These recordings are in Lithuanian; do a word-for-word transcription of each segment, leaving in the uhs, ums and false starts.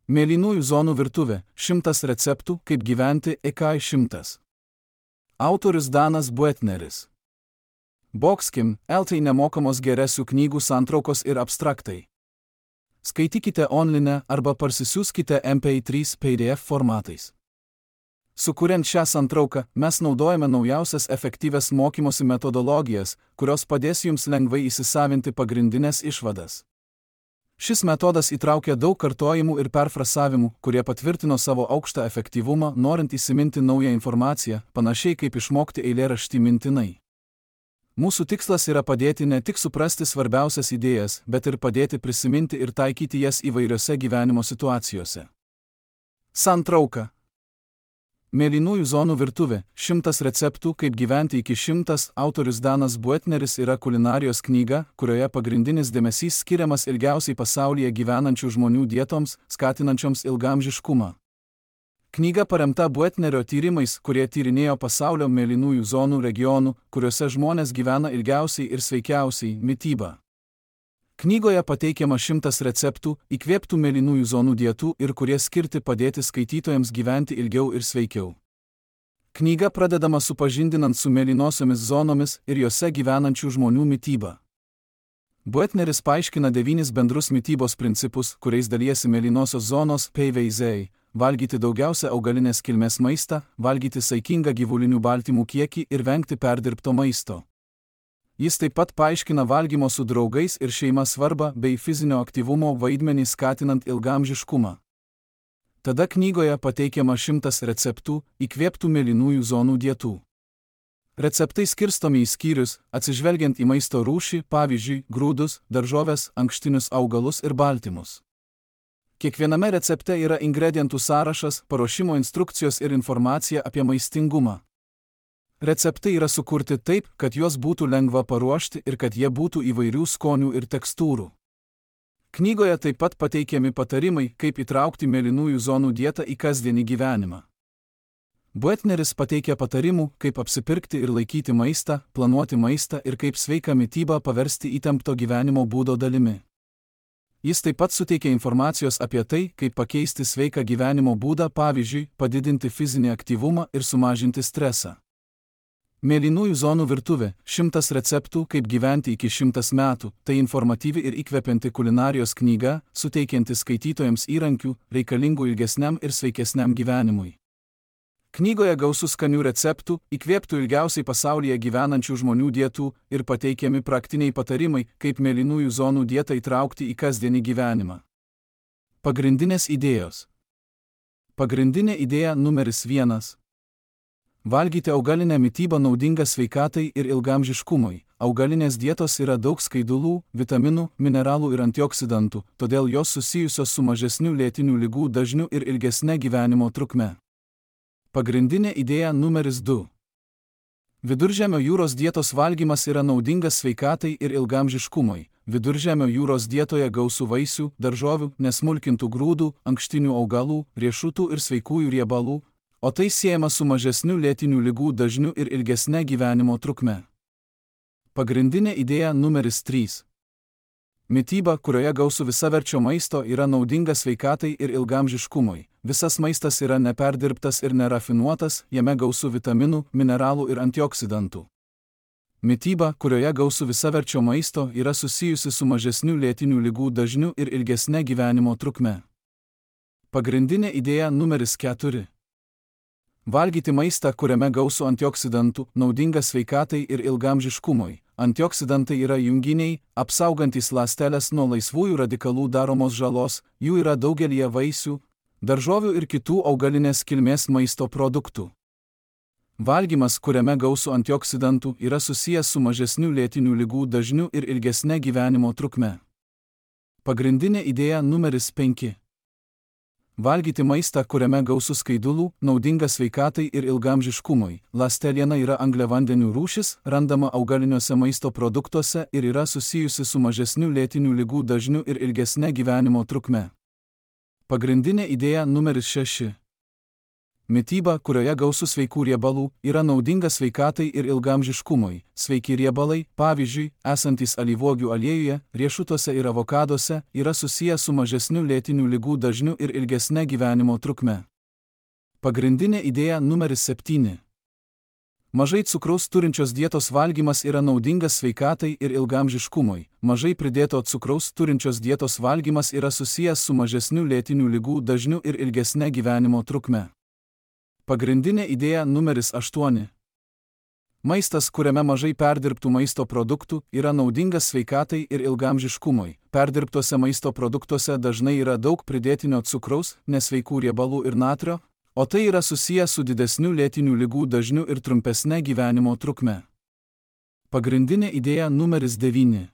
Mėlynųjų zonų virtuvė – šimtas receptų, kaip gyventi E K I šimtas. Autorius Danas Buetneris. Boxkim, L T nemokamos geresių knygų santraukos ir abstraktai. Skaitykite online arba parsisiųskite M P trys P D F formatais. Sukuriant šią santrauką, mes naudojame naujausias efektyvias mokymosi metodologijas, kurios padės jums lengvai įsisavinti pagrindinės išvadas. Šis metodas įtraukia daug kartojimų ir perfrasavimų, kurie patvirtino savo aukštą efektyvumą, norint įsiminti naują informaciją, panašiai kaip išmokti eilėraštį mintinai. Mūsų tikslas yra padėti ne tik suprasti svarbiausias idėjas, bet ir padėti prisiminti ir taikyti jas įvairiose gyvenimo situacijose. Santrauka. Mėlynųjų zonų virtuvė – šimtas receptų, kaip gyventi iki šimtas. Autorius Danas Buetneris yra kulinarijos knyga, kurioje pagrindinis dėmesys skiriamas ilgiausiai pasaulyje gyvenančių žmonių dietoms, skatinančioms ilgaamžiškumą. Knyga paremta Buetnerio tyrimais, kurie tyrinėjo pasaulio mėlynųjų zonų regionų, kuriuose žmonės gyvena ilgiausiai ir sveikiausiai – mitybą. Knygoje pateikiama šimtas receptų, įkvėptų mėlynųjų zonų dietų ir kurie skirti padėti skaitytojams gyventi ilgiau ir sveikiau. Knyga pradedama supažindinant su mėlynosiomis zonomis ir jose gyvenančių žmonių mityba. Buetneris paaiškina devynis bendrus mitybos principus, kuriais dalijasi mėlynosios zonos P V Z: valgyti daugiausia augalinės kilmės maistą, valgyti saikingą gyvulinių baltymų kiekį ir vengti perdirbto maisto. Jis taip pat paaiškina valgymo su draugais ir šeima svarbą bei fizinio aktyvumo vaidmenį skatinant ilgaamžiškumą. Tada knygoje pateikiama šimtas receptų, įkvėptų mėlynųjų zonų dietų. Receptai skirstomi į skyrius, atsižvelgiant į maisto rūšį, pavyzdžiui, grūdus, daržoves, ankštinius augalus ir baltymus. Kiekviename recepte yra ingredientų sąrašas, paruošimo instrukcijos ir informacija apie maistingumą. Receptai yra sukurti taip, kad juos būtų lengva paruošti ir kad jie būtų įvairių skonių ir tekstūrų. Knygoje taip pat pateikiami patarimai, kaip įtraukti mėlynųjų zonų dietą į kasdienį gyvenimą. Buetneris pateikia patarimų, kaip apsipirkti ir laikyti maistą, planuoti maistą ir kaip sveiką mitybą paversti įtempto gyvenimo būdo dalimi. Jis taip pat suteikia informacijos apie tai, kaip pakeisti sveiką gyvenimo būdą, pavyzdžiui, padidinti fizinį aktyvumą ir sumažinti stresą. Mėlynųjų zonų virtuvė – šimtas receptų, kaip gyventi iki šimtas metų. Tai informatyvi ir įkvepianti kulinarijos knyga, suteikianti skaitytojams įrankių, reikalingų ilgesniam ir sveikesniam gyvenimui. Knygoje gausu skanių receptų, įkvėptų ilgiausiai pasaulyje gyvenančių žmonių dietų ir pateikiami praktiniai patarimai, kaip mėlynųjų zonų dietą įtraukti į kasdienį gyvenimą. Pagrindinės idėjos. Pagrindinė idėja numeris vienas. Valgyti augalinę mitybą naudinga sveikatai ir ilgaamžiškumui. Augalinės dietos yra daug skaidulų, vitaminų, mineralų ir antioksidantų, todėl jos susijusios su mažesniu lėtinių ligų dažniu ir ilgesne gyvenimo trukme. Pagrindinė idėja numeris du. Viduržemio jūros dietos valgymas yra naudingas sveikatai ir ilgaamžiškumui. Viduržemio jūros dietoje gausu vaisių, daržovių, nesmulkintų grūdų, ankštinių augalų, riešutų ir sveikųjų riebalų, o tai siejama su mažesniu lėtinių ligų dažniu ir ilgesne gyvenimo trukme. Pagrindinė idėja numeris trys. Mityba, kurioje gausu visaverčio maisto, yra naudinga sveikatai ir ilgaamžiškumui. Visas maistas yra neperdirbtas ir nerafinuotas, jame gausu vitaminų, mineralų ir antioksidantų. Mityba, kurioje gausu visaverčio maisto, yra susijusi su mažesniu lėtinių ligų dažniu ir ilgesne gyvenimo trukme. Pagrindinė idėja numeris keturi. Valgyti maistą, kuriame gausu antioksidantų, naudinga sveikatai ir ilgaamžiškumui. Antioksidantai yra junginiai, apsaugantys ląsteles nuo laisvųjų radikalų daromos žalos, jų yra daugelyje vaisių, daržovių ir kitų augalinės kilmės maisto produktų. Valgymas, kuriame gausu antioksidantų, yra susijęs su mažesniu lėtinių ligų dažniu ir ilgesne gyvenimo trukme. Pagrindinė idėja numeris penki. Valgyti maistą, kuriame gausu skaidulų, naudinga sveikatai ir ilgaamžiškumui. Ląsteliena yra angliavandenių rūšis, randama augaliniuose maisto produktuose ir yra susijusi su mažesniu lėtinių ligų dažniu ir ilgesne gyvenimo trukme. Pagrindinė idėja numeris šeši. Mityba, kurioje gausu sveikų riebalų, yra naudinga sveikatai ir ilgaamžiškumui. Sveiki riebalai, pavyzdžiui, esantys alyvuogių aliejuje, riešutuose ir avokaduose, yra susiję su mažesniu lėtinių ligų dažniu ir ilgesne gyvenimo trukme. Pagrindinė idėja numeris septyni. Mažai cukraus turinčios dietos valgymas yra naudingas sveikatai ir ilgaamžiškumui. Mažai pridėto cukraus turinčios dietos valgymas yra susijęs su mažesniu lėtinių ligų dažniu ir ilgesne gyvenimo trukme. Pagrindinė idėja numeris aštuoni. Maistas, kuriame mažai perdirbtų maisto produktų, yra naudingas sveikatai ir ilgaamžiškumui. Perdirbtuose maisto produktuose dažnai yra daug pridėtinio cukraus, nesveikų riebalų ir natrio, o tai yra susiję su didesniu lėtinių ligų dažniu ir trumpesne gyvenimo trukme. Pagrindinė idėja numeris devyni.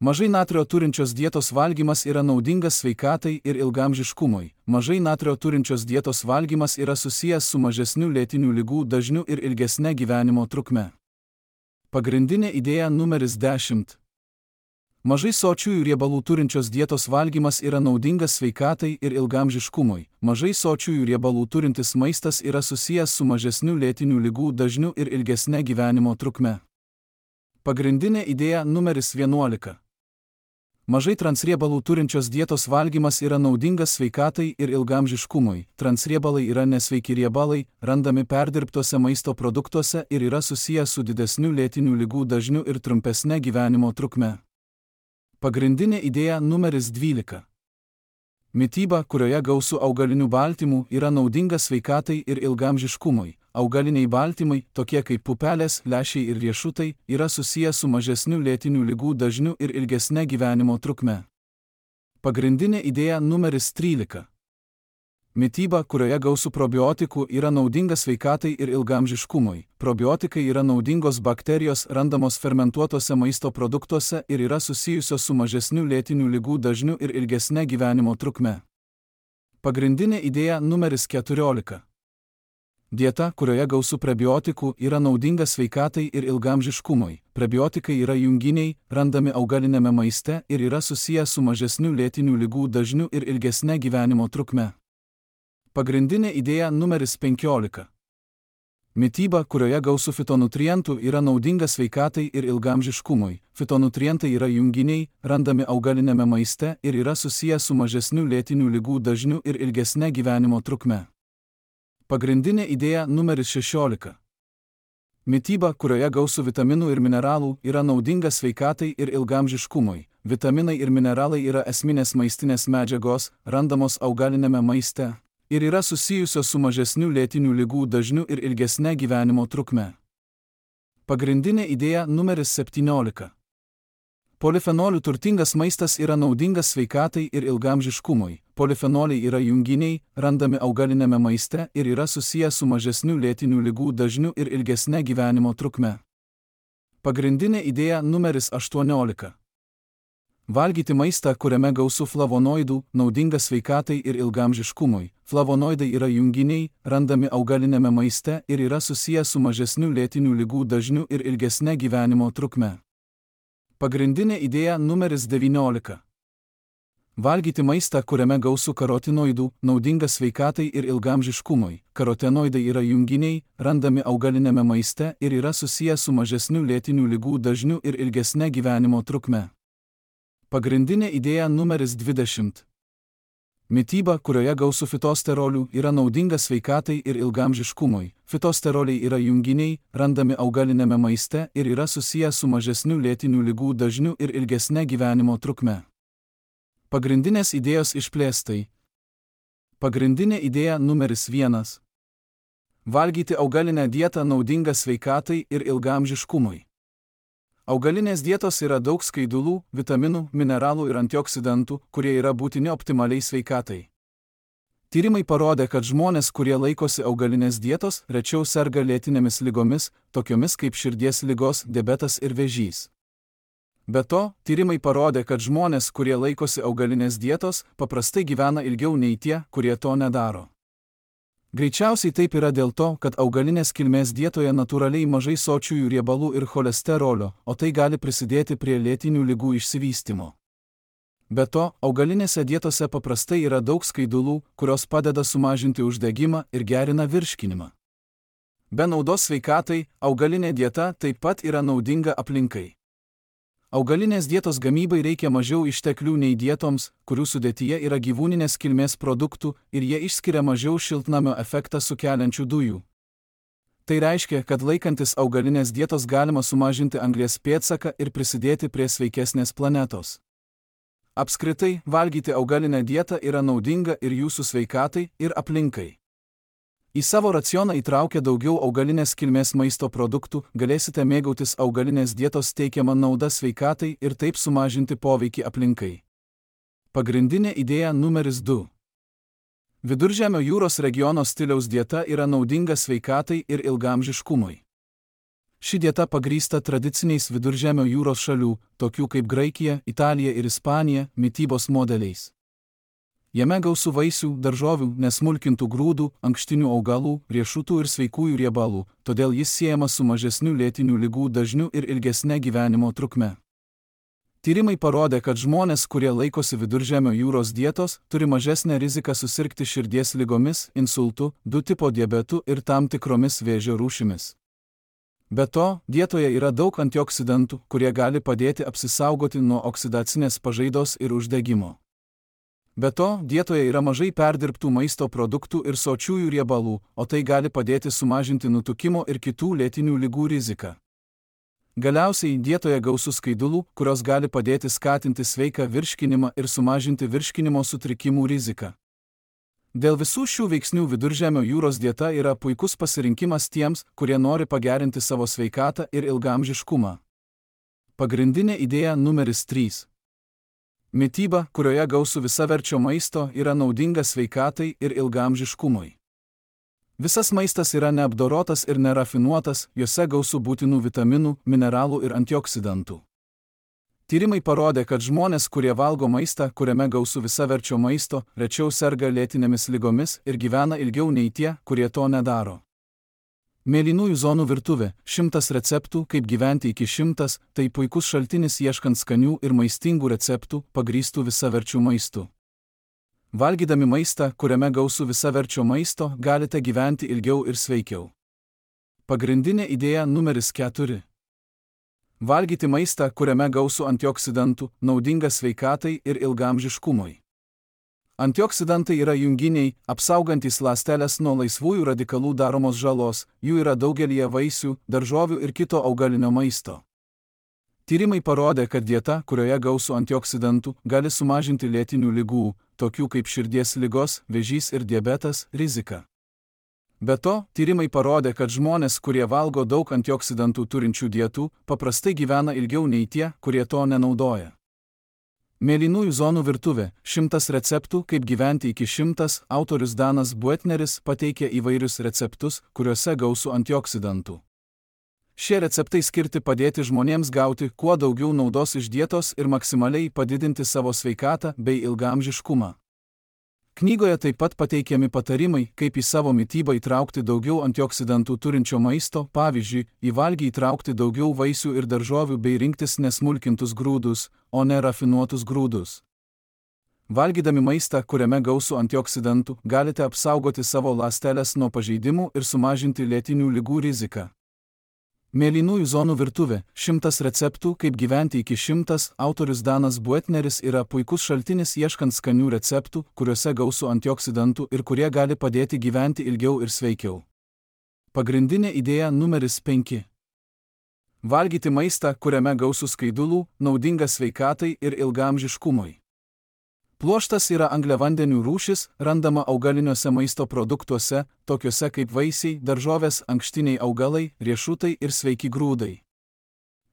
Mažai natrio turinčios dietos valgymas yra naudingas sveikatai ir ilgaamžiškumui. Mažai natrio turinčios dietos valgymas yra susijęs su mažesniu lėtinių ligų dažniu ir ilgesne gyvenimo trukme. Pagrindinė idėja numeris dešimt. Mažai sočiųjų riebalų turinčios dietos valgymas yra naudingas sveikatai ir ilgaamžiškumui. Mažai sočiųjų riebalų turintis maistas yra susijęs su mažesniu lėtinių ligų dažniu ir ilgesne gyvenimo trukme. Pagrindinė idėja numeris vienuolika. Mažai transriebalų turinčios dietos valgymas yra naudingas sveikatai ir ilgaamžiškumui. Transriebalai yra nesveiki riebalai, randami perdirbtuose maisto produktuose ir yra susiję su didesniu lėtinių ligų dažniu ir trumpesne gyvenimo trukme. Pagrindinė idėja numeris dvylika. Mityba, kurioje gausu augalinių baltymų, yra naudinga sveikatai ir ilgaamžiškumui. Augaliniai baltymai, tokie kaip pupelės, lęšiai ir riešutai, yra susiję su mažesniu lėtinių ligų dažniu ir ilgesne gyvenimo trukme. Pagrindinė idėja numeris trylika. Mityba, kurioje gausu probiotikų, yra naudinga sveikatai ir ilgaamžiškumui. Probiotikai yra naudingos bakterijos randamos fermentuotose maisto produktuose ir yra susijusios su mažesniu lėtinių ligų dažniu ir ilgesne gyvenimo trukme. Pagrindinė idėja numeris keturiolika. Dieta, kurioje gausu prebiotikų, yra naudinga sveikatai ir ilgaamžiškumui. Prebiotikai yra junginiai, randami augalinėme maiste ir yra susiję su mažesniu lėtinių ligų dažniu ir ilgesne gyvenimo trukme. Pagrindinė idėja numeris penkiolika. Mityba, kurioje gausu fitonutrientų, yra naudinga sveikatai ir ilgaamžiškumui. Fitonutrientai yra junginiai, randami augalinėme maiste ir yra susiję su mažesniu lėtinių ligų dažniu ir ilgesne gyvenimo trukme. Pagrindinė idėja numeris šešiolika. Mityba, kurioje gausu vitaminų ir mineralų, yra naudinga sveikatai ir ilgaamžiškumui. Vitaminai ir mineralai yra esminės maistinės medžiagos, randamos augalinėme maiste ir yra susijusios su mažesniu lėtinių ligų dažniu ir ilgesne gyvenimo trukme. Pagrindinė idėja numeris septyniolika. Polifenolių turtingas maistas yra naudingas sveikatai ir ilgaamžiškumui. Polifenoliai yra junginiai, randami augalinėme maiste ir yra susiję su mažesniu lėtinių ligų dažniu ir ilgesne gyvenimo trukme. Pagrindinė idėja numeris aštuoniolika. Valgyti maistą, kuriame gausu flavonoidų, naudinga sveikatai ir ilgaamžiškumui. Flavonoidai yra junginiai, randami augalinėme maiste ir yra susiję su mažesniu lėtinių ligų dažniu ir ilgesne gyvenimo trukme. Pagrindinė idėja numeris devyniolika. Valgyti maistą, kuriame gausu karotinoidų, naudinga sveikatai ir ilgaamžiškumui. Karotinoidai yra junginiai, randami augalinėme maiste ir yra susiję su mažesniu lėtinių ligų dažniu ir ilgesne gyvenimo trukme. Pagrindinė idėja numeris dvidešimt. Mityba, kurioje gausu fitosterolių, yra naudinga sveikatai ir ilgaamžiškumui. Fitosteroliai yra junginiai, randami augalinėme maiste ir yra susiję su mažesniu lėtinių ligų dažniu ir ilgesne gyvenimo trukme. Pagrindinės idėjos išplėstai. Pagrindinė idėja numeris vienas. Valgyti augalinę dietą naudinga sveikatai ir ilgaamžiškumui. Augalinės dietos yra daug skaidulų, vitaminų, mineralų ir antioksidantų, kurie yra būtini optimaliai sveikatai. Tyrimai parodė, kad žmonės, kurie laikosi augalinės dietos, rečiau serga lėtinėmis ligomis, tokiomis kaip širdies ligos, diabetas ir vėžys. Be to, tyrimai parodė, kad žmonės, kurie laikosi augalinės dietos, paprastai gyvena ilgiau nei tie, kurie to nedaro. Greičiausiai taip yra dėl to, kad augalinės kilmės dietoje natūraliai mažai sočiųjų riebalų ir cholesterolio, o tai gali prisidėti prie lėtinių ligų išsivystymo. Be to, augalinėse dietose paprastai yra daug skaidulų, kurios padeda sumažinti uždegimą ir gerina virškinimą. Be naudos sveikatai, augalinė dieta taip pat yra naudinga aplinkai. Augalinės dietos gamybai reikia mažiau išteklių nei dietoms, kurių sudėtyje yra gyvūninės kilmės produktų ir jie išskiria mažiau šiltnamio efektą sukeliančių dujų. Tai reiškia, kad laikantis augalinės dietos galima sumažinti anglies pėdsaką ir prisidėti prie sveikesnės planetos. Apskritai, valgyti augalinę dietą yra naudinga ir jūsų sveikatai, ir aplinkai. Į savo racioną įtraukę daugiau augalinės kilmės maisto produktų, galėsite mėgautis augalinės dietos teikiamą naudą sveikatai ir taip sumažinti poveikį aplinkai. Pagrindinė idėja numeris du. Viduržemio jūros regiono stiliaus dieta yra naudinga sveikatai ir ilgaamžiškumui. Ši dieta pagrįsta tradiciniais Viduržemio jūros šalių, tokių kaip Graikija, Italija ir Ispanija, mitybos modeliais. Jame gausu vaisių, daržovių, nesmulkintų grūdų, ankštinių augalų, riešutų ir sveikųjų riebalų, todėl jis siejamas su mažesniu lėtinių ligų dažniu ir ilgesne gyvenimo trukme. Tyrimai parodė, kad žmonės, kurie laikosi Viduržemio jūros dietos, turi mažesnę riziką susirgti širdies ligomis, insultu, du tipo diabetu ir tam tikromis vėžio rūšimis. Be to, dietoje yra daug antioksidantų, kurie gali padėti apsisaugoti nuo oksidacinės pažaidos ir uždegimo. Be to, dietoje yra mažai perdirbtų maisto produktų ir sočiųjų riebalų, o tai gali padėti sumažinti nutukimo ir kitų lėtinių ligų riziką. Galiausiai, dietoje gausu skaidulų, kurios gali padėti skatinti sveiką virškinimą ir sumažinti virškinimo sutrikimų riziką. Dėl visų šių veiksnių Viduržemio jūros dieta yra puikus pasirinkimas tiems, kurie nori pagerinti savo sveikatą ir ilgaamžiškumą. Pagrindinė idėja numeris trys. Mityba, kurioje gausu visaverčio maisto, yra naudinga sveikatai ir ilgaamžiškumui. Visas maistas yra neapdorotas ir nerafinuotas, jose gausu būtinų vitaminų, mineralų ir antioksidantų. Tyrimai parodė, kad žmonės, kurie valgo maistą, kuriame gausu visaverčio maisto, rečiau serga lėtinėmis ligomis ir gyvena ilgiau nei tie, kurie to nedaro. Mėlynųjų zonų virtuvė – šimtas receptų, kaip gyventi iki šimtas, tai puikus šaltinis ieškant skanių ir maistingų receptų, pagrįstų visaverčių maistu. Valgydami maistą, kuriame gausu visaverčio maisto, galite gyventi ilgiau ir sveikiau. Pagrindinė idėja numeris keturi. Valgyti maistą, kuriame gausu antioksidantų, naudinga sveikatai ir ilgaamžiškumui. Antioksidantai yra junginiai, apsaugantys ląsteles nuo laisvųjų radikalų daromos žalos, jų yra daugelyje vaisių, daržovių ir kito augalinio maisto. Tyrimai parodė, kad dieta, kurioje gausu antioksidantų, gali sumažinti lėtinių ligų, tokių kaip širdies ligos, vėžys ir diabetas, riziką. Be to, tyrimai parodė, kad žmonės, kurie valgo daug antioksidantų turinčių dietų, paprastai gyvena ilgiau nei tie, kurie to nenaudoja. Mėlynųjų zonų virtuvė – šimtas receptų, kaip gyventi iki šimtas, autorius Danas Buetneris pateikė įvairius receptus, kuriuose gausu antioksidantų. Šie receptai skirti padėti žmonėms gauti kuo daugiau naudos iš dietos ir maksimaliai padidinti savo sveikatą bei ilgaamžiškumą. Knygoje taip pat pateikiami patarimai, kaip į savo mitybą įtraukti daugiau antioksidantų turinčio maisto, pavyzdžiui, į valgį įtraukti daugiau vaisių ir daržovių bei rinktis nesmulkintus grūdus, o ne rafinuotus grūdus. Valgydami maistą, kuriame gausu antioksidantų, galite apsaugoti savo ląsteles nuo pažeidimų ir sumažinti lėtinių ligų riziką. Mėlynųjų zonų virtuvė – šimtas receptų, kaip gyventi iki šimtas, autorius Danas Buetneris yra puikus šaltinis ieškant skanių receptų, kuriuose gausu antioksidantų ir kurie gali padėti gyventi ilgiau ir sveikiau. Pagrindinė idėja numeris penki. Valgyti maistą, kuriame gausu skaidulų, naudinga sveikatai ir ilgaamžiškumui. Pluoštas yra angliavandenių rūšis, randama augaliniuose maisto produktuose, tokiuose kaip vaisiai, daržovės, ankštiniai augalai, riešutai ir sveiki grūdai.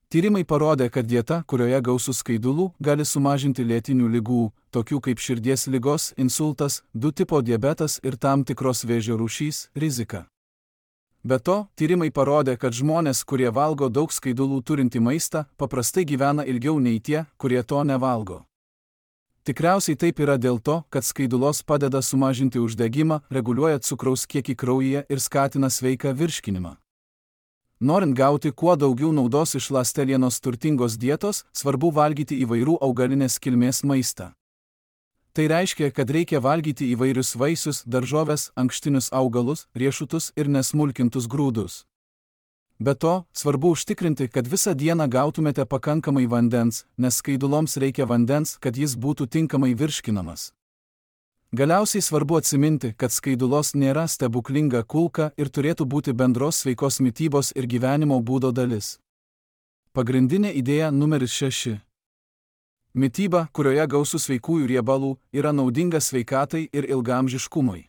Tyrimai parodė, kad dieta, kurioje gausu skaidulų, gali sumažinti lėtinių ligų, tokių kaip širdies ligos, insultas, du tipo diabetas ir tam tikros vėžio rūšys, riziką. Be to, tyrimai parodė, kad žmonės, kurie valgo daug skaidulų turintį maistą, paprastai gyvena ilgiau nei tie, kurie to nevalgo. Tikriausiai taip yra dėl to, kad skaidulos padeda sumažinti uždegimą, reguliuoja cukraus kiekį kraujyje ir skatina sveiką virškinimą. Norint gauti kuo daugiau naudos iš ląstelienos turtingos dietos, svarbu valgyti įvairių augalinės kilmės maistą. Tai reiškia, kad reikia valgyti įvairius vaisius, daržoves, ankštinius augalus, riešutus ir nesmulkintus grūdus. Be to, svarbu užtikrinti, kad visą dieną gautumėte pakankamai vandens, nes skaiduloms reikia vandens, kad jis būtų tinkamai virškinamas. Galiausiai svarbu atsiminti, kad skaidulos nėra stebuklinga kulka ir turėtų būti bendros sveikos mitybos ir gyvenimo būdo dalis. Pagrindinė idėja numeris šeši. Mityba, kurioje gausu sveikųjų riebalų, yra naudinga sveikatai ir ilgaamžiškumui.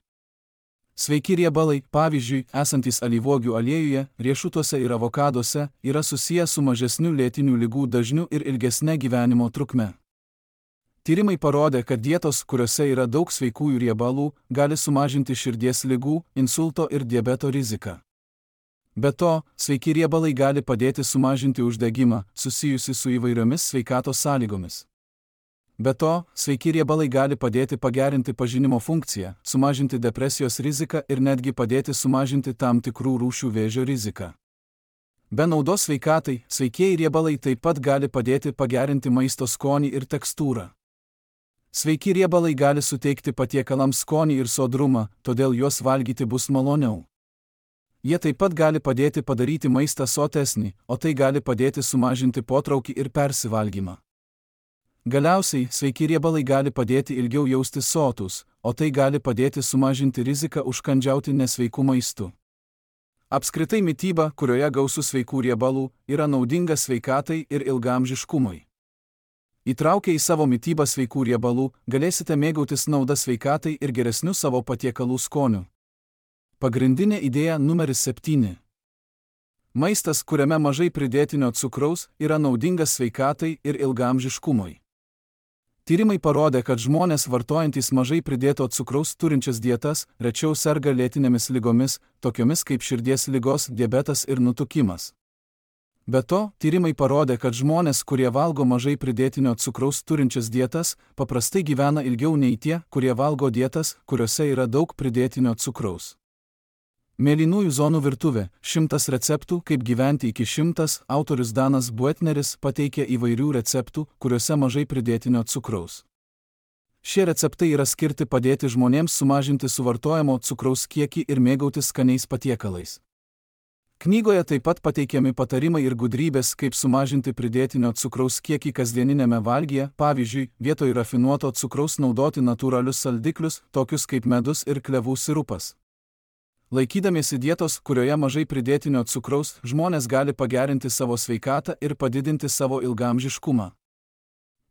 Sveiki riebalai, pavyzdžiui, esantys alyvuogių aliejuje, riešutuose ir avokaduose, yra susiję su mažesniu lėtinių ligų dažniu ir ilgesne gyvenimo trukme. Tyrimai parodė, kad dietos, kuriuose yra daug sveikųjų riebalų, gali sumažinti širdies ligų, insulto ir diabeto riziką. Be to, sveiki riebalai gali padėti sumažinti uždegimą, susijusi su įvairiomis sveikatos sąlygomis. Be to, sveiki riebalai gali padėti pagerinti pažinimo funkciją, sumažinti depresijos riziką ir netgi padėti sumažinti tam tikrų rūšių vėžio riziką. Be naudos sveikatai, sveikieji riebalai taip pat gali padėti pagerinti maisto skonį ir tekstūrą. Sveiki riebalai gali suteikti patiekalams skonį ir sodrumą, todėl juos valgyti bus maloniau. Jie taip pat gali padėti padaryti maistą sotesnį, o tai gali padėti sumažinti potraukį ir persivalgymą. Galiausiai, sveiki riebalai gali padėti ilgiau jaustis sotus, o tai gali padėti sumažinti riziką užkandžiauti nesveikų maistų. Apskritai mityba, kurioje gausu sveikų riebalų, yra naudinga sveikatai ir ilgaamžiškumui. Įtraukę į savo mitybą sveikų riebalų, galėsite mėgautis nauda sveikatai ir geresniu savo patiekalų skoniu. Pagrindinė idėja numeris septyni. Maistas, kuriame mažai pridėtinio cukraus, yra naudingas sveikatai ir ilgaamžiškumui. Tyrimai parodė, kad žmonės vartojantys mažai pridėto cukraus turinčias dietas rečiau serga lėtinėmis ligomis, tokiomis kaip širdies ligos, diabetas ir nutukimas. Be to, tyrimai parodė, kad žmonės, kurie valgo mažai pridėtinio cukraus turinčias dietas, paprastai gyvena ilgiau nei tie, kurie valgo dietas, kuriuose yra daug pridėtinio cukraus. Mėlynųjų zonų virtuvė – šimtas receptų, kaip gyventi iki šimtas, autorius Danas Buetneris pateikė įvairių receptų, kuriuose mažai pridėtinio cukraus. Šie receptai yra skirti padėti žmonėms sumažinti suvartojamo cukraus kiekį ir mėgautis skaniais patiekalais. Knygoje taip pat pateikiami patarimai ir gudrybės, kaip sumažinti pridėtinio cukraus kiekį kasdieninėme valgyje, pavyzdžiui, vietoj rafinuoto cukraus naudoti natūralius saldiklius, tokius kaip medus ir klevų sirupas. Laikydamiesi dietos, kurioje mažai pridėtinio cukraus, žmonės gali pagerinti savo sveikatą ir padidinti savo ilgaamžiškumą.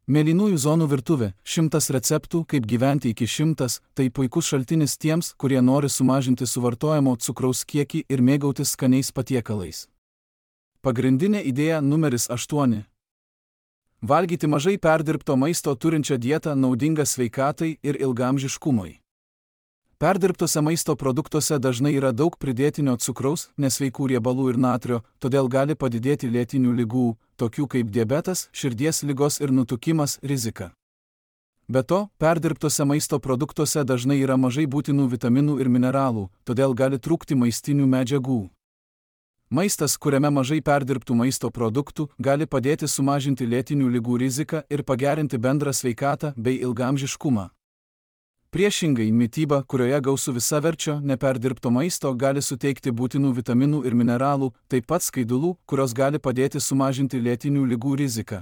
Mėlynųjų zonų virtuvė – šimtas receptų, kaip gyventi iki šimtas, tai puikus šaltinis tiems, kurie nori sumažinti suvartojamo cukraus kiekį ir mėgautis skaniais patiekalais. Pagrindinė idėja numeris aštuoni. Valgyti mažai perdirbto maisto turinčią dietą naudinga sveikatai ir ilgaamžiškumui. Perdirbtose maisto produktuose dažnai yra daug pridėtinio cukraus, nesveikų riebalų ir natrio, todėl gali padidėti lėtinių ligų, tokių kaip diabetas, širdies ligos ir nutukimas, rizika. Be to, perdirbtose maisto produktuose dažnai yra mažai būtinų vitaminų ir mineralų, todėl gali trūkti maistinių medžiagų. Maistas, kuriame mažai perdirbtų maisto produktų, gali padėti sumažinti lėtinių ligų riziką ir pagerinti bendrą sveikatą bei ilgaamžiškumą. Priešingai, mityba, kurioje gausu visaverčio, neperdirbto maisto, gali suteikti būtinų vitaminų ir mineralų, taip pat skaidulų, kurios gali padėti sumažinti lėtinių ligų riziką.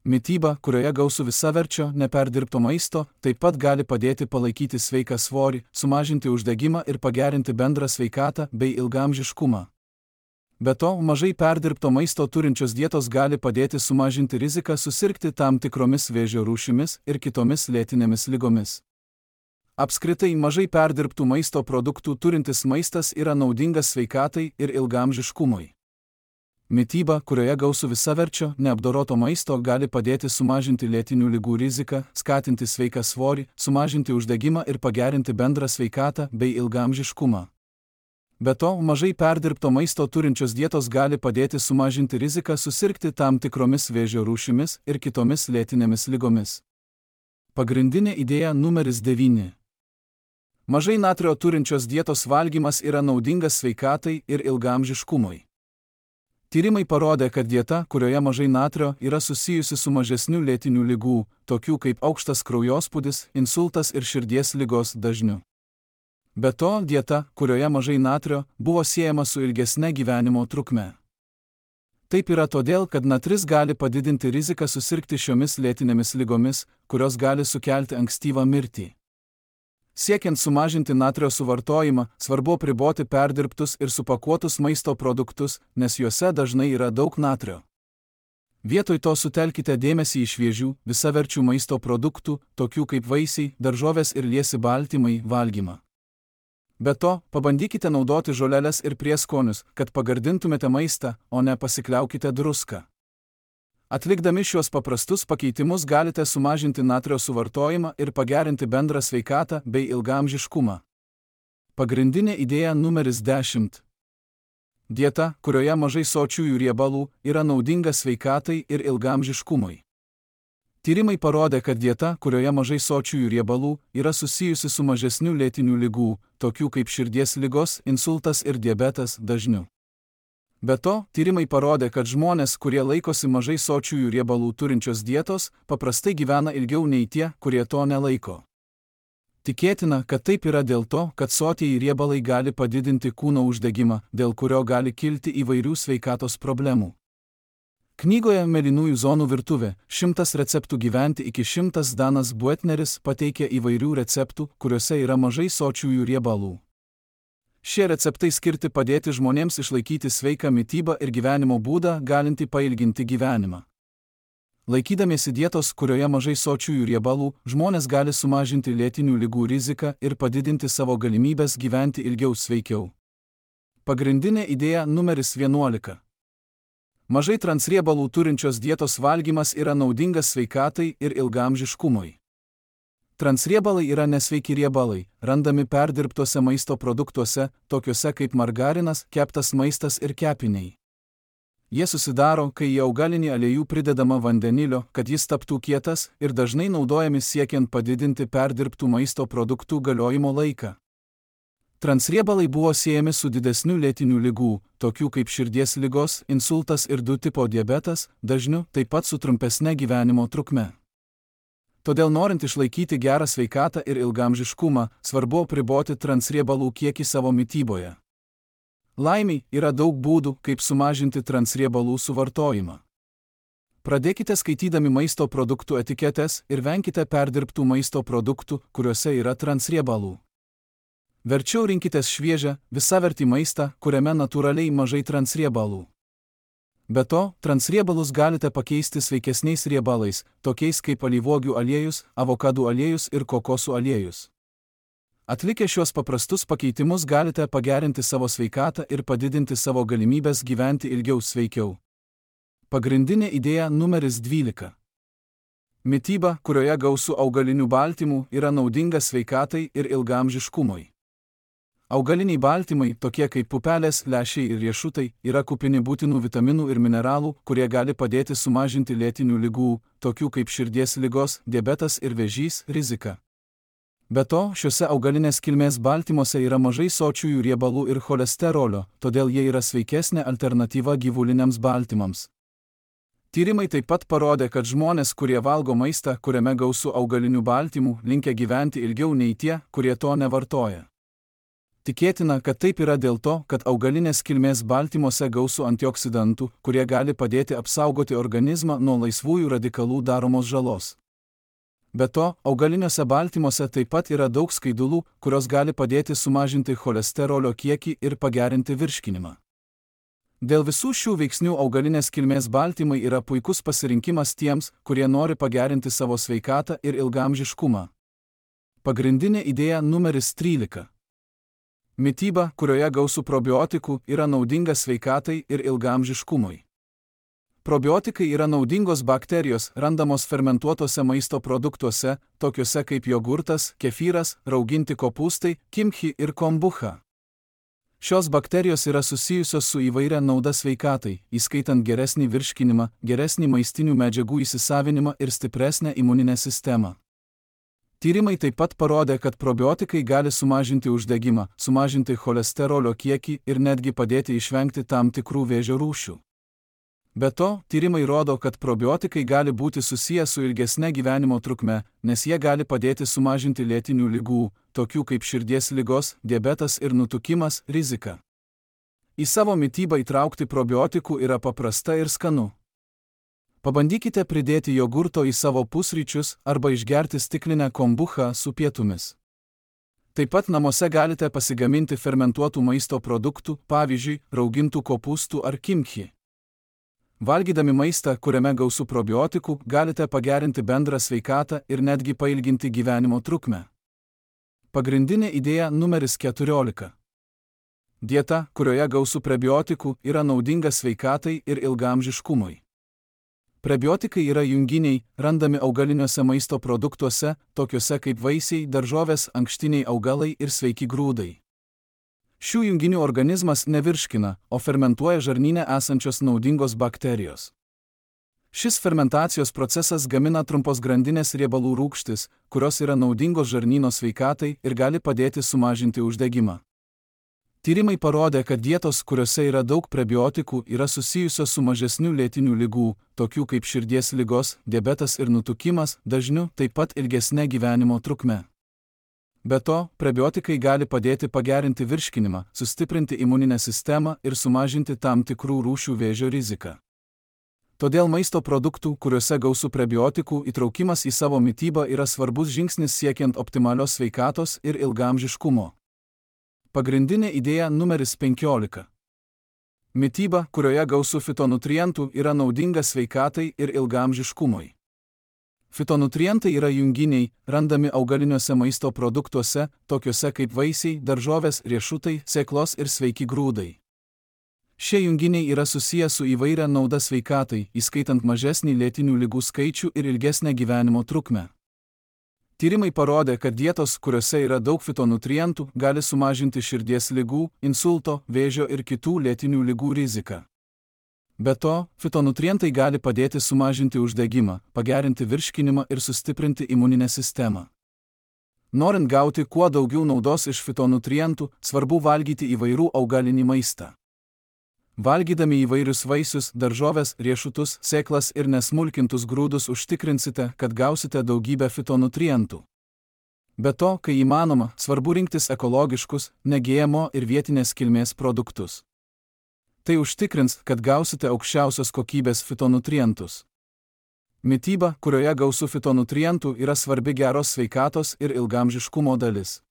Mityba, kurioje gausu visaverčio, neperdirbto maisto, taip pat gali padėti palaikyti sveiką svorį, sumažinti uždegimą ir pagerinti bendrą sveikatą bei ilgaamžiškumą. Be to, mažai perdirbto maisto turinčios dietos gali padėti sumažinti riziką susirgti tam tikromis vėžio rūšimis ir kitomis lėtinėmis ligomis. Apskritai, mažai perdirbtų maisto produktų turintis maistas yra naudingas sveikatai ir ilgaamžiškumui. Mityba, kurioje gausu visaverčio, neapdoroto maisto, gali padėti sumažinti lėtinių ligų riziką, skatinti sveiką svorį, sumažinti uždegimą ir pagerinti bendrą sveikatą bei ilgaamžiškumą. Be to, mažai perdirbto maisto turinčios dietos gali padėti sumažinti riziką susirgti tam tikromis vėžio rūšimis ir kitomis lėtinėmis ligomis. Pagrindinė idėja numeris devyni. Mažai natrio turinčios dietos valgymas yra naudingas sveikatai ir ilgaamžiškumui. Tyrimai parodė, kad dieta, kurioje mažai natrio, yra susijusi su mažesniu lėtinių ligų, tokių kaip aukštas kraujospūdis, insultas ir širdies ligos dažniu. Be to, dieta, kurioje mažai natrio, buvo siejama su ilgesne gyvenimo trukme. Taip yra todėl, kad natris gali padidinti riziką susirgti šiomis lėtinėmis ligomis, kurios gali sukelti ankstyvą mirtį. Siekiant sumažinti natrio suvartojimą, svarbu apriboti perdirbtus ir supakuotus maisto produktus, nes juose dažnai yra daug natrio. Vietoj to sutelkite dėmesį į šviežių, visaverčių maisto produktų, tokių kaip vaisiai, daržovės ir liesi baltymai, valgymą. Be to, pabandykite naudoti žoleles ir prieskonius, kad pagardintumėte maistą, o ne pasikliaukite druska. Atlikdami šiuos paprastus pakeitimus galite sumažinti natrio suvartojimą ir pagerinti bendrą sveikatą bei ilgaamžiškumą. Pagrindinė idėja numeris dešimt. Dieta, kurioje mažai sočiųjų riebalų, yra naudinga sveikatai ir ilgaamžiškumui. Tyrimai parodė, kad dieta, kurioje mažai sočiųjų riebalų, yra susijusi su mažesniu lėtinių ligų, tokių kaip širdies ligos, insultas ir diabetas dažniu. Be to, tyrimai parodė, kad žmonės, kurie laikosi mažai sočiųjų riebalų turinčios dietos, paprastai gyvena ilgiau nei tie, kurie to nelaiko. Tikėtina, kad taip yra dėl to, kad sotieji riebalai gali padidinti kūno uždegimą, dėl kurio gali kilti įvairių sveikatos problemų. Knygoje Mėlynųjų zonų virtuvė šimtas receptų gyventi iki šimtas Danas Buetneris pateikė įvairių receptų, kuriuose yra mažai sočiųjų riebalų. Šie receptai skirti padėti žmonėms išlaikyti sveiką mitybą ir gyvenimo būdą, galintį pailginti gyvenimą. Laikydamiesi dietos, kurioje mažai sočiųjų riebalų, žmonės gali sumažinti lėtinių ligų riziką ir padidinti savo galimybės gyventi ilgiau sveikiau. Pagrindinė idėja numeris vienuolika. Mažai transriebalų turinčios dietos valgymas yra naudingas sveikatai ir ilgaamžiškumui. Transriebalai yra nesveiki riebalai, randami perdirbtuose maisto produktuose, tokiuose kaip margarinas, keptas maistas ir kepiniai. Jie susidaro, kai į augalinį aliejų pridedama vandenilio, kad jis taptų kietas, ir dažnai naudojami siekiant padidinti perdirbtų maisto produktų galiojimo laiką. Transriebalai buvo siejami su didesniu lėtinių ligų, tokių kaip širdies ligos, insultas ir du tipo diabetas, dažniu, taip pat su trumpesne gyvenimo trukme. Todėl norint išlaikyti gerą sveikatą ir ilgaamžiškumą, svarbu apriboti transriebalų kiekį savo mityboje. Laimiai, yra daug būdų, kaip sumažinti transriebalų suvartojimą. Pradėkite skaitydami maisto produktų etiketes ir venkite perdirbtų maisto produktų, kuriuose yra transriebalų. Verčiau rinkitės šviežią, visavertį maistą, kuriame natūraliai mažai transriebalų. Be to, transriebalus galite pakeisti sveikesniais riebalais, tokiais kaip alyvuogių aliejus, avokadų aliejus ir kokosų aliejus. Atlikę šiuos paprastus pakeitimus galite pagerinti savo sveikatą ir padidinti savo galimybės gyventi ilgiau sveikiau. Pagrindinė idėja numeris dvylika. Mityba, kurioje gausu augalinių baltymų, yra naudinga sveikatai ir ilgaamžiškumui. Augaliniai baltymai, tokie kaip pupelės, lęšiai ir riešutai, yra kupini būtinų vitaminų ir mineralų, kurie gali padėti sumažinti lėtinių ligų, tokių kaip širdies ligos, diabetas ir vėžys, riziką. Be to, šiuose augalinės kilmės baltymuose yra mažai sočiųjų riebalų ir cholesterolio, todėl jie yra sveikesnė alternatyva gyvuliniams baltymams. Tyrimai taip pat parodė, kad žmonės, kurie valgo maistą, kuriame gausu augalinių baltymų, linkę gyventi ilgiau nei tie, kurie to nevartoja. Tikėtina, kad taip yra dėl to, kad augalinės kilmės baltymuose gausu antioksidantų, kurie gali padėti apsaugoti organizmą nuo laisvųjų radikalų daromos žalos. Be to, augaliniuose baltymuose taip pat yra daug skaidulų, kurios gali padėti sumažinti cholesterolio kiekį ir pagerinti virškinimą. Dėl visų šių veiksnių augalinės kilmės baltymai yra puikus pasirinkimas tiems, kurie nori pagerinti savo sveikatą ir ilgaamžiškumą. Pagrindinė idėja numeris trylika. Mityba, kurioje gausu probiotikų, yra naudinga sveikatai ir ilgaamžiškumui. Probiotikai yra naudingos bakterijos, randamos fermentuotose maisto produktuose, tokiuose kaip jogurtas, kefyras, rauginti kopūstai, kimchi ir kombucha. Šios bakterijos yra susijusios su įvairia nauda sveikatai, įskaitant geresnį virškinimą, geresnį maistinių medžiagų įsisavinimą ir stipresnę imuninę sistemą. Tyrimai taip pat parodė, kad probiotikai gali sumažinti uždegimą, sumažinti cholesterolio kiekį ir netgi padėti išvengti tam tikrų vėžio rūšių. Be to, tyrimai rodo, kad probiotikai gali būti susiję su ilgesne gyvenimo trukme, nes jie gali padėti sumažinti lėtinių ligų, tokių kaip širdies ligos, diabetas ir nutukimas, riziką. Į savo mitybą įtraukti probiotikų yra paprasta ir skanu. Pabandykite pridėti jogurto į savo pusryčius arba išgerti stiklinę kombuchą su pietumis. Taip pat namuose galite pasigaminti fermentuotų maisto produktų, pavyzdžiui, raugintų kopūstų ar kimchi. Valgydami maistą, kuriame gausu probiotikų, galite pagerinti bendrą sveikatą ir netgi pailginti gyvenimo trukmę. Pagrindinė idėja numeris keturiolika. Dieta, kurioje gausu prebiotikų, yra naudinga sveikatai ir ilgaamžiškumui. Prebiotikai yra junginiai, randami augaliniuose maisto produktuose, tokiuose kaip vaisiai, daržovės, ankštiniai augalai ir sveiki grūdai. Šių junginių organizmas nevirškina, o fermentuoja žarnyne esančios naudingos bakterijos. Šis fermentacijos procesas gamina trumpos grandinės riebalų rūgštis, kurios yra naudingos žarnyno sveikatai ir gali padėti sumažinti uždegimą. Tyrimai parodė, kad dietos, kuriuose yra daug prebiotikų, yra susijusios su mažesniu lėtinių ligų, tokių kaip širdies ligos, diabetas ir nutukimas, dažniu taip pat ilgesne gyvenimo trukme. Be to, prebiotikai gali padėti pagerinti virškinimą, sustiprinti imuninę sistemą ir sumažinti tam tikrų rūšių vėžio riziką. Todėl maisto produktų, kuriuose gausu prebiotikų, įtraukimas į savo mitybą yra svarbus žingsnis siekiant optimalios sveikatos ir ilgaamžiškumo. Pagrindinė idėja numeris penkiolika. Mityba, kurioje gausu fitonutrientų, yra naudinga sveikatai ir ilgaamžiškumui. Fitonutrientai yra junginiai, randami augaliniuose maisto produktuose, tokiuose kaip vaisiai, daržovės, riešutai, sėklos ir sveiki grūdai. Šie junginiai yra susiję su įvairia nauda sveikatai, įskaitant mažesnį lėtinių ligų skaičių ir ilgesnę gyvenimo trukmę. Tyrimai parodė, kad dietos, kuriuose yra daug fitonutrientų, gali sumažinti širdies ligų, insulto, vėžio ir kitų lėtinių ligų riziką. Be to, fitonutrientai gali padėti sumažinti uždegimą, pagerinti virškinimą ir sustiprinti imuninę sistemą. Norint gauti kuo daugiau naudos iš fitonutrientų, svarbu valgyti įvairų augalinį maistą. Valgydami įvairius vaisius, daržovės, riešutus, sėklas ir nesmulkintus grūdus užtikrinsite, kad gausite daugybę fitonutrientų. Be to, kai įmanoma, svarbu rinktis ekologiškus, ne G M O ir vietinės kilmės produktus. Tai užtikrins, kad gausite aukščiausios kokybės fitonutrientus. Mityba, kurioje gausu fitonutrientų, yra svarbi geros sveikatos ir ilgaamžiškumo dalis.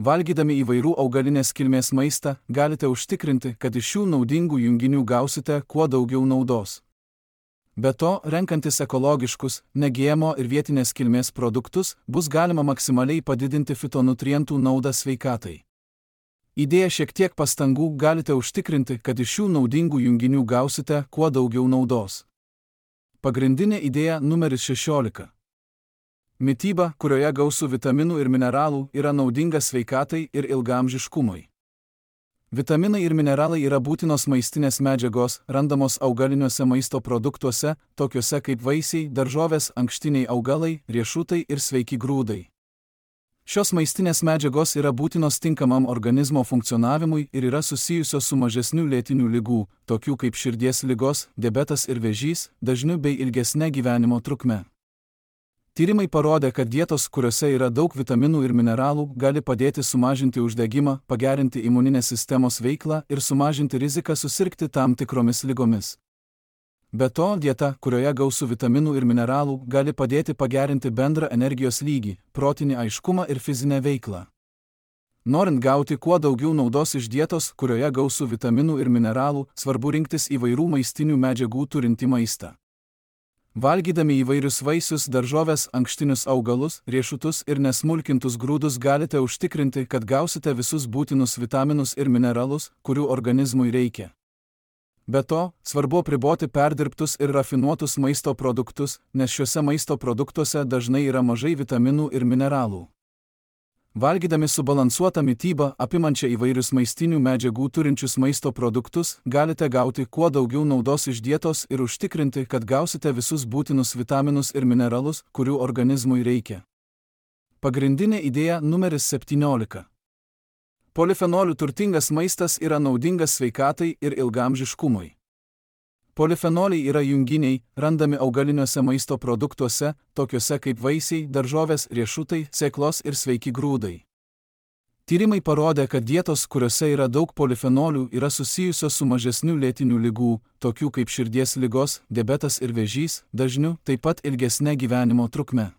Valgydami įvairių augalinės kilmės maistą, galite užtikrinti, kad iš šių naudingų junginių gausite kuo daugiau naudos. Be to, renkantis ekologiškus, ne G M O ir vietinės kilmės produktus, bus galima maksimaliai padidinti fitonutrientų naudą sveikatai. Įdėję šiek tiek pastangų galite užtikrinti, kad iš šių naudingų junginių gausite kuo daugiau naudos. Pagrindinė idėja numeris šešiolika. Mityba, kurioje gausu vitaminų ir mineralų, yra naudinga sveikatai ir ilgaamžiškumui. Vitaminai ir mineralai yra būtinos maistinės medžiagos, randamos augaliniuose maisto produktuose, tokiuose kaip vaisiai, daržovės, ankštiniai augalai, riešutai ir sveiki grūdai. Šios maistinės medžiagos yra būtinos tinkamam organizmo funkcionavimui ir yra susijusios su mažesniu lėtinių ligų, tokių kaip širdies ligos, diabetas ir vėžys, dažniu bei ilgesne gyvenimo trukme. Tyrimai parodė, kad dietos, kuriuose yra daug vitaminų ir mineralų, gali padėti sumažinti uždegimą, pagerinti imuninės sistemos veiklą ir sumažinti riziką susirgti tam tikromis ligomis. Be to, dieta, kurioje gausu vitaminų ir mineralų, gali padėti pagerinti bendrą energijos lygį, protinį aiškumą ir fizinę veiklą. Norint gauti kuo daugiau naudos iš dietos, kurioje gausu vitaminų ir mineralų, svarbu rinktis įvairių maistinių medžiagų turintį maistą. Valgydami įvairius vaisius, daržovės, ankštinius augalus, riešutus ir nesmulkintus grūdus galite užtikrinti, kad gausite visus būtinus vitaminus ir mineralus, kurių organizmui reikia. Be to, svarbu apriboti perdirbtus ir rafinuotus maisto produktus, nes šiuose maisto produktuose dažnai yra mažai vitaminų ir mineralų. Valgydami subalansuotą mitybą, apimančią įvairius maistinių medžiagų turinčius maisto produktus, galite gauti kuo daugiau naudos iš dietos ir užtikrinti, kad gausite visus būtinus vitaminus ir mineralus, kurių organizmui reikia. Pagrindinė idėja numeris septyniolika. Polifenolių turtingas maistas yra naudingas sveikatai ir ilgaamžiškumui. Polifenoliai yra junginiai, randami augaliniuose maisto produktuose, tokiuose kaip vaisiai, daržovės, riešutai, sėklos ir sveiki grūdai. Tyrimai parodė, kad dietos, kuriuose yra daug polifenolių, yra susijusios su mažesniu lėtinių ligų, tokių kaip širdies ligos, diabetas ir vėžys, dažniu, taip pat ilgesne gyvenimo trukme.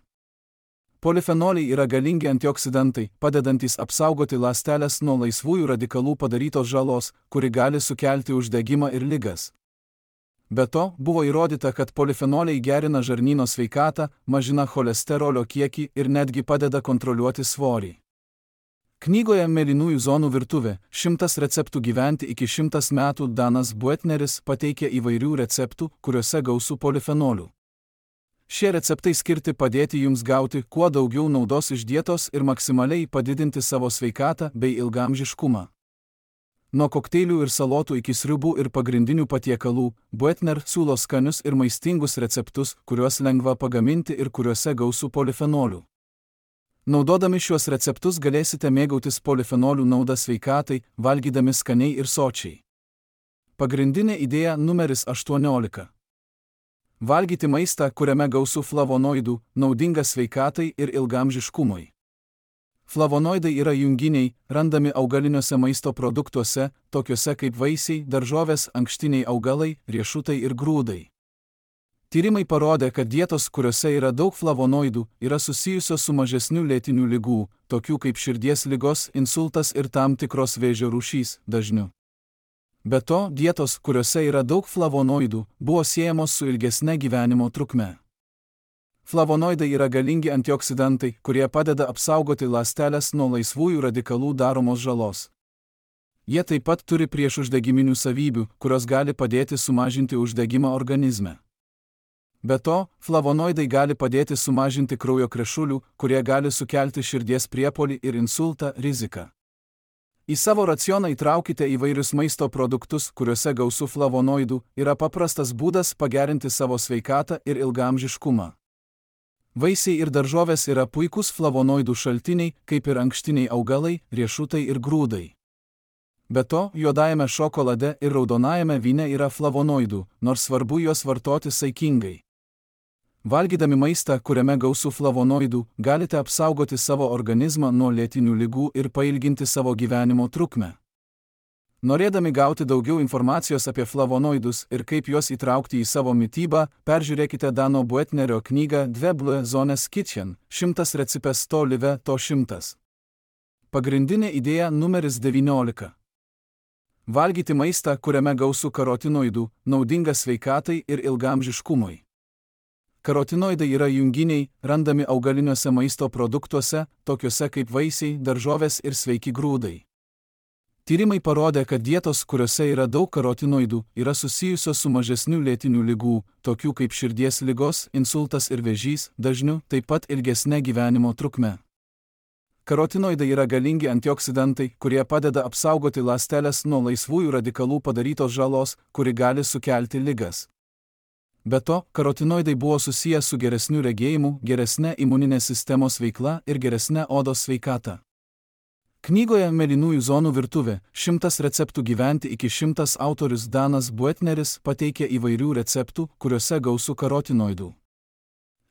Polifenoliai yra galingi antioksidantai, padedantys apsaugoti ląsteles nuo laisvųjų radikalų padarytos žalos, kuri gali sukelti uždegimą ir ligas. Be to, buvo įrodyta, kad polifenoliai gerina žarnyno sveikatą, mažina cholesterolio kiekį ir netgi padeda kontroliuoti svorį. Knygoje Mėlynųjų zonų virtuvė – šimtas receptų gyventi iki šimtas metų Danas Buetneris pateikė įvairių receptų, kuriuose gausu polifenolių. Šie receptai skirti padėti jums gauti kuo daugiau naudos iš dietos ir maksimaliai padidinti savo sveikatą bei ilgaamžiškumą. Nuo kokteilių ir salotų iki sriubų ir pagrindinių patiekalų, Buetner siūlo skanius ir maistingus receptus, kuriuos lengva pagaminti ir kuriuose gausu polifenolių. Naudodami šiuos receptus galėsite mėgautis polifenolių naudą sveikatai, valgydami skaniai ir sočiai. Pagrindinė idėja numeris aštuoniolika. Valgyti maistą, kuriame gausu flavonoidų, naudinga sveikatai ir ilgaamžiškumui. Flavonoidai yra junginiai, randami augaliniuose maisto produktuose, tokiuose kaip vaisiai, daržovės, ankštiniai augalai, riešutai ir grūdai. Tyrimai parodė, kad dietos, kuriuose yra daug flavonoidų, yra susijusios su mažesniu lėtinių ligų, tokių kaip širdies ligos, insultas ir tam tikros vėžio rūšys, dažniu. Be to, dietos, kuriuose yra daug flavonoidų, buvo siejamos su ilgesne gyvenimo trukme. Flavonoidai yra galingi antioksidantai, kurie padeda apsaugoti ląsteles nuo laisvųjų radikalų daromos žalos. Jie taip pat turi priešuždegiminių savybių, kurios gali padėti sumažinti uždegimą organizme. Be to, flavonoidai gali padėti sumažinti kraujo krešulių, kurie gali sukelti širdies priepuolį ir insultą riziką. Į savo racioną įtraukite įvairius maisto produktus, kuriuose gausu flavonoidų, yra paprastas būdas pagerinti savo sveikatą ir ilgaamžiškumą. Vaisiai ir daržovės yra puikūs flavonoidų šaltiniai, kaip ir ankštiniai augalai, riešutai ir grūdai. Be to, juodajame šokolade ir raudonajame vyne yra flavonoidų, nors svarbu juos vartoti saikingai. Valgydami maistą, kuriame gausu flavonoidų, galite apsaugoti savo organizmą nuo lėtinių ligų ir pailginti savo gyvenimo trukmę. Norėdami gauti daugiau informacijos apie flavonoidus ir kaip juos įtraukti į savo mitybą, peržiūrėkite Dano Buetnerio knygą Dve Blue Zones Kitchen – šimtas recepės to live to šimtas. Pagrindinė idėja numeris devyniolika. Valgyti maistą, kuriame gausu karotinoidų, naudinga sveikatai ir ilgaamžiškumui. Karotinoidai yra junginiai, randami augaliniuose maisto produktuose, tokiuose kaip vaisiai, daržovės ir sveiki grūdai. Tyrimai parodė, kad dietos, kuriuose yra daug karotinoidų, yra susijusios su mažesniu lėtinių ligų, tokių kaip širdies ligos, insultas ir vėžys, dažniu, taip pat ilgesne gyvenimo trukme. Karotinoidai yra galingi antioksidantai, kurie padeda apsaugoti ląsteles nuo laisvųjų radikalų padarytos žalos, kuri gali sukelti ligas. Be to, karotinoidai buvo susiję su geresniu regėjimu, geresne imuninės sistemos veikla ir geresne odos sveikata. Knygoje Mėlynųjų zonų virtuvė – šimtas receptų gyventi iki šimtas autorius Danas Buetneris pateikė įvairių receptų, kuriuose gausu karotinoidų.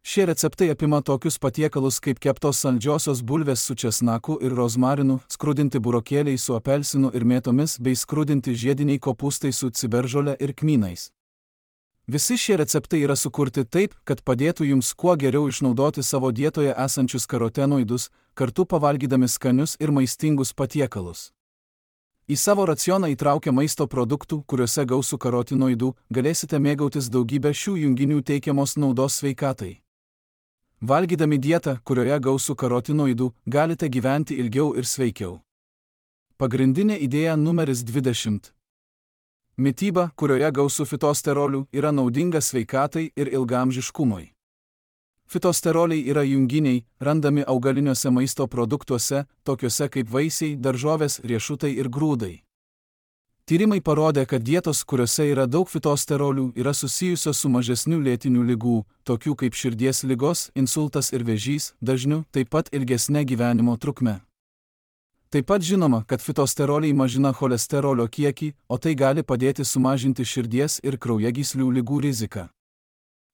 Šie receptai apima tokius patiekalus kaip keptos saldžiosios bulvės su česnaku ir rozmarinu, skrudinti burokėliai su apelsinu ir mėtomis bei skrudinti žiediniai kopūstai su ciberžole ir kmynais. Visi šie receptai yra sukurti taip, kad padėtų jums kuo geriau išnaudoti savo dietoje esančius karotinoidus, kartu pavalgydami skanius ir maistingus patiekalus. Į savo racioną įtraukę maisto produktų, kuriuose gausu karotinoidų, galėsite mėgautis daugybę šių junginių teikiamos naudos sveikatai. Valgydami dietą, kurioje gausu karotinoidų, galite gyventi ilgiau ir sveikiau. Pagrindinė idėja numeris dvidešimt. Mityba, kurioje gausu fitosterolių, yra naudinga sveikatai ir ilgaamžiškumui. Fitosteroliai yra junginiai, randami augaliniuose maisto produktuose, tokiuose kaip vaisiai, daržovės, riešutai ir grūdai. Tyrimai parodė, kad dietos, kuriuose yra daug fitosterolių, yra susijusios su mažesniu lėtinių ligų, tokių kaip širdies ligos, insultas ir vėžys, dažniu, taip pat ilgesne gyvenimo trukme. Taip pat žinoma, kad fitosteroliai mažina cholesterolio kiekį, o tai gali padėti sumažinti širdies ir kraujagyslių ligų riziką.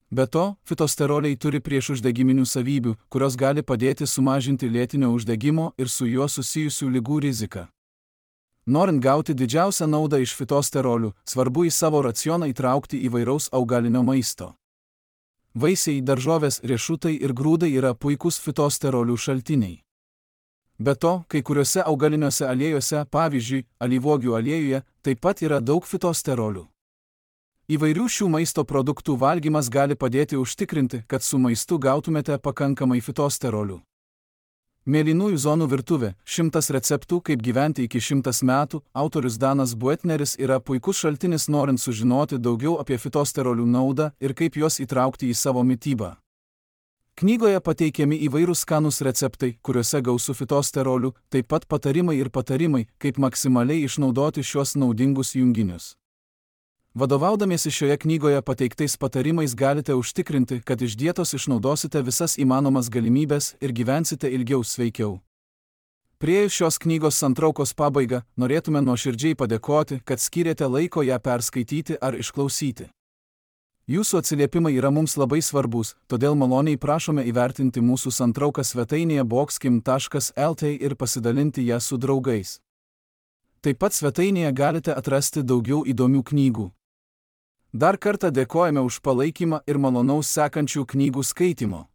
Be to, fitosteroliai turi priešuždegiminių savybių, kurios gali padėti sumažinti lėtinio uždegimo ir su juo susijusių ligų riziką. Norint gauti didžiausią naudą iš fitosterolių, svarbu į savo racioną įtraukti įvairaus augalinio maisto. Vaisiai, daržovės, riešutai ir grūdai yra puikūs fitosterolių šaltiniai. Be to, kai kuriuose augaliniuose aliejuose, pavyzdžiui, alyvuogių aliejuje, taip pat yra daug fitosterolių. Įvairių šių maisto produktų valgymas gali padėti užtikrinti, kad su maistu gautumėte pakankamai fitosterolių. Mėlynųjų zonų virtuvė – šimtas receptų, kaip gyventi iki šimtas metų, autorius Danas Buetneris yra puikus šaltinis norint sužinoti daugiau apie fitosterolių naudą ir kaip juos įtraukti į savo mitybą. Knygoje pateikiami įvairūs skanūs receptai, kuriuose gausu fitosterolių, taip pat patarimai ir patarimai, kaip maksimaliai išnaudoti šiuos naudingus junginius. Vadovaudamiesi šioje knygoje pateiktais patarimais galite užtikrinti, kad iš dietos išnaudosite visas įmanomas galimybes ir gyvensite ilgiau sveikiau. Priėjus šios knygos santraukos pabaigą, norėtume nuoširdžiai padėkoti, kad skyrėte laiko ją perskaityti ar išklausyti. Jūsų atsiliepimai yra mums labai svarbus, todėl maloniai prašome įvertinti mūsų santrauką svetainėje boxkim taškas lt ir pasidalinti ją su draugais. Taip pat svetainėje galite atrasti daugiau įdomių knygų. Dar kartą dėkojame už palaikymą ir malonaus sekančių knygų skaitimo.